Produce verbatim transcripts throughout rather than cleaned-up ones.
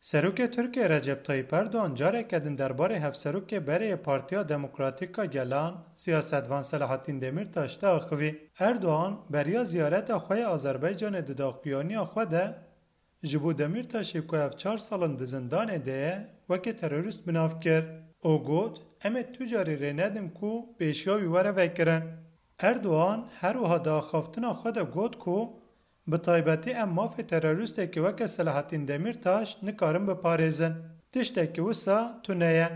Serokê Tirkiyê Recep Tayyip Erdogan careke din derbarê hevserokê berê yê Partiya Demokratîk a Gelan, siyasetvan Selahattin Demirtaş de axivî. Erdogan beriya ziyareta xwe ya Azerbaycanê di daxuyaniya xwe de ji bo Demirtaşê ku ev çar sal in di zindanê de ye, weke terorîst bi nav kir û got, Em ê tu carî rê nedin ku pêşiya wî were vekirin. Erdogan her wiha di axaftina xwe de got ku bi taybetî em mafê terorîstekî weke Selahattin Demirtaş nikarin biparêzin. Tiştekî wisa tune ye.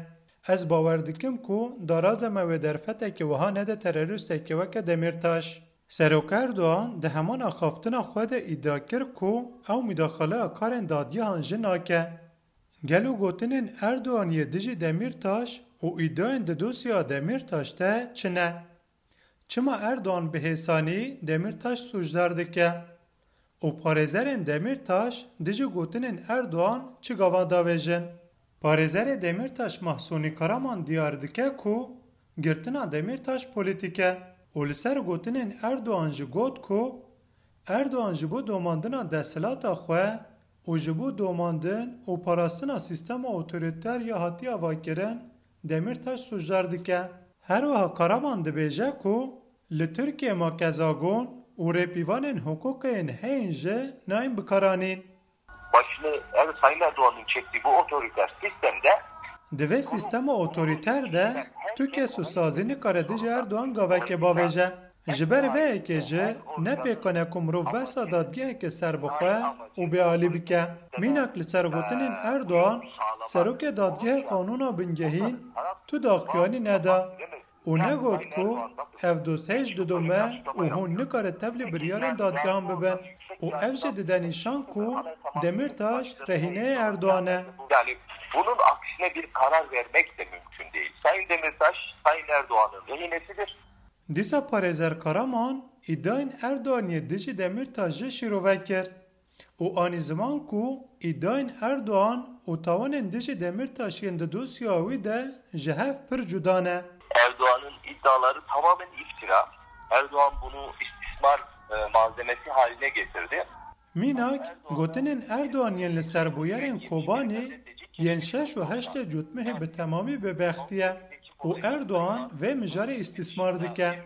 Ez bawer dikim ku daraza me wê derfetekî wiha nede terorîstekî weke Demirtaş. Serok Erdogan di heman axaftina xwe de îdia kir ku ew mîdaxaleya karên dadgehan jî nake. Gelo gotinên Erdogan yê dijî Demirtaş û îdiayên di dosyeya Demirtaş de çi ne? Çima Erdogan bi hêsanî Demirtaş sûcdar dike? Û parêzerên Demirtaş dijî gotinên Erdogan çi gavan davêjin? Parêzerê Demirtaş Mahsûnî Karaman diyar dike ku girtina Demirtaş polîtîk e û li ser gotinên Erdogan jî got ku Erdogan ji bo domandina desthilata xwe û ji bo domandin û parastina sîstema otorîter ya hatiye avakirin Demirtaş sûcdar dike. Her wiha Karaman dibêje ku li Tirkiyê makezagon û rêpîvanên hiqûqê yên heyîn jî nayên bikaranîn. Başını, evet, Sayın Erdoğan'ın çektiği bu otoriter sistemde Di vê sîstema otorîter de tu kes û sazî nikare dijî Erdogan gavekê bavêje. Ji ber vê yekê jî ne pêkan e ku mirov behsa dadgeheke serbixwe û bêalî bike. Mînak li ser gotinên Erdogan, serokê dadgehê qanûna bingehîn tu daxuyanî neda û negot ku ev dost hêj didome û hûn nikare tevlî biryarên dadgehan bibin û ev jî dide nîşan ku Demirtaş rehîneyê Erdogan e. Yani bunun aksine bir karar vermek de mümkün değil. Sayın Demirtaş, Sayın Erdoğan'ın rehinesidir. Dîsa parêzer Karaman îdiayên Erdogan yê dijî Demirtaş jî şîrove kir û anî ziman ku îdiayên Erdogan û tawanên dijî Demirtaş yên di dosya wî de ji hev pir cuda ne. Erdoğan'ın iddiaları tamamen iftira. Erdoğan bunu istismar, e, malzemesi haline getirdi. Mînak, gotinên Erdogan yên li ser bûyerên Kobanê yên şeş û heştê Cotmehê bi temamî bêbextî ye û Erdogan vê mijarê îstîsmar dike.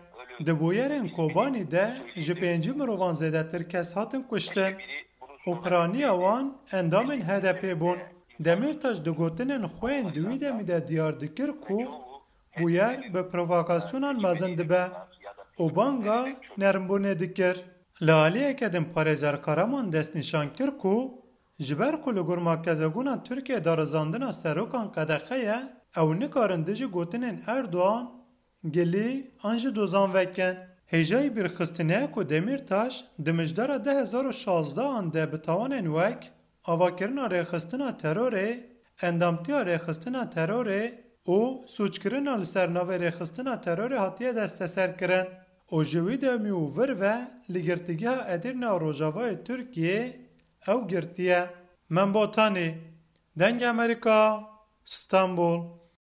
Di bûyerên Kobanî de ji pêncî mirovan zêdetir kes hatin kuştin û piraniya wan endamên H D P bûn. Demirtaş di gotinên xwe yên di wî demî de diyar dikir ku bûyer bi provokasyonan mezin dibe û banga nermbûnê dikir. Li aliyeke din parêzer Karaman destnîşan kir ku ji ber ku li gor makezagona Tirkiyê darizandina serokan qedexe ye, ew nikarin dijî gotinên Erdogan gilî an jî dozan vekin. Hêjayî bîrxistinê ye ku Demîrtaş di mijdara du hezar û şazdehan de bi tawanên wek avakirina rêxistina terorê, endamtiya rêxistina terorê û sûckirina li ser navê rêxistina terorê hatiye desteserkirin û ji wî demî û vir ve li Girtîgeha Edirne a Rojavayê Tirkiyê ew girtiye. Membotanî, Dengê Amerîka, Stenbul.